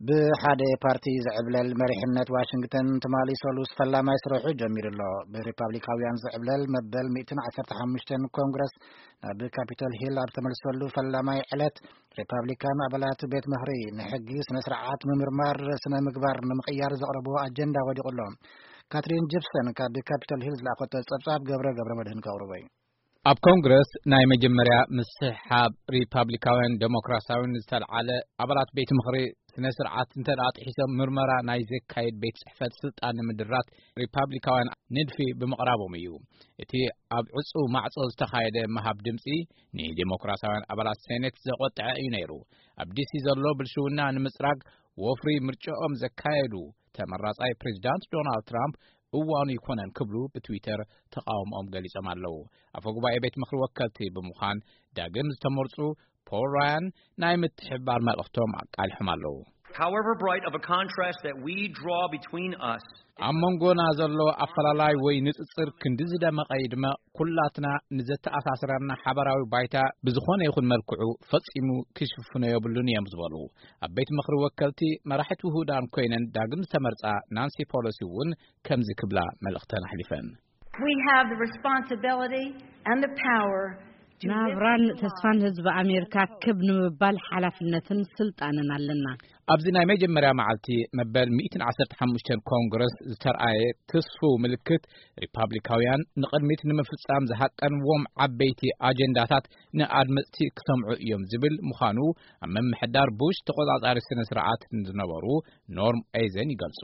ብሓደ ፓርቲ ዝዕብለል መሪሕነት ዋሽንግተን ትማሊ ሰሉስ ፈላማይ ስርሑ ጀሚሩ ኣሎ። ብሪፓብሊካውያን ዝዕብለል መበል ሚእትን ዓሰርተ ሓሙሽተን ኮንግረስ ናብ ካፒቶል ሂል ኣብ ተመልሰሉ ፈላማይ ዕለት፣ ሪፓብሊካን ኣባላት ቤት ምኽሪ ንሕጊ ስነ ስርዓት ምምርማር ስነ ምግባር ንምቕያር ዘቕረብዎ ኣጀንዳ ወዲቑ ኣሎ። ካትሪን ጂፕሰን ካብ ካፒቶል ሂል ዝለኣኸቶ ጸብጻብ ገብረ ገብረ መድህን ከቕርቦ እዩ። ኣብ ኮንግረስ ናይ መጀመርያ ምስሕሓብ ሪፓብሊካውያን ዴሞክራሲያውን ዝተልዓለ፣ ኣባላት ቤት ምኽሪ ስነ ስርዓት እንተ ደኣ ጥሒሶም ምርመራ ናይ ዘካየድ ቤት ጽሕፈት ስልጣን ንምድራት ሪፓብሊካውያን ንድፊ ብምቕራቦም እዩ። እቲ ኣብ ዕጹው ማዕጾ ዝተኻየደ ምሃብ ድምጺ ንዴሞክራሲያውያን ኣባላት ሴኔት ዘቖጥዐ እዩ ነይሩ። ኣብ ዲሲ ዘሎ ብልሽውና ንምጽራግ ወፍሪ ምርጫኦም ዘካየዱ ተመራጻይ ፕሬዚዳንት ዶናልድ ትራምፕ እዋኑ ይኮነን ክብሉ ብትዊተር ተቃውሞኦም ገሊጾም ኣለዉ። ኣፈ ጉባኤ ቤት ምኽሪ ወከልቲ ብምዃን ዳግም ዝተመርጹ ፖል ራያን ናይ ምትሕብባር መልእኽቶም ኣቃሊሖም ኣለዉ። However bright of a contrast that we draw between us ኣብ መንጎና ዘሎ ኣፈላላይ ወይ ንጽጽር ክንዲ ዝደመቐ ይድመቕ፣ ኩላትና ንዘተኣሳስረና ሓበራዊ ባይታ ብዝኾነ ይኹን መልክዑ ፈጺሙ ክሽፍኖ የብሉን እዮም ዝበሉ ኣብ ቤት ምኽሪ ወከልቲ መራሒት ውሁዳን ኮይነን ዳግም ዝተመርጻ ናንሲ ፖሎሲ እውን ከምዚ ክብላ መልእኽተን ኣሕሊፈን። We have the responsibility and the power to ናብራን lift the ተስፋን line. ህዝቢ ኣሜሪካ ክብ ንምባል ሓላፍነትን ስልጣንን ኣለና። ኣብዚ ናይ መጀመርያ መዓልቲ መበል ሚእትን ዓሰርተ ሓሙሽተን ኮንግረስ ዝተርኣየ ትስፉው ምልክት፣ ሪፓብሊካውያን ንቕድሚት ንምፍጻም ዝሃቀንዎም ዓበይቲ ኣጀንዳታት ንኣድመጽቲ ክሰምዑ እዮም ዝብል ምዃኑ ኣብ ምምሕዳር ቡሽ ተቖጻጻሪ ስነ ስርዓት ዝነበሩ ኖርም ኤዘን ይገልጹ።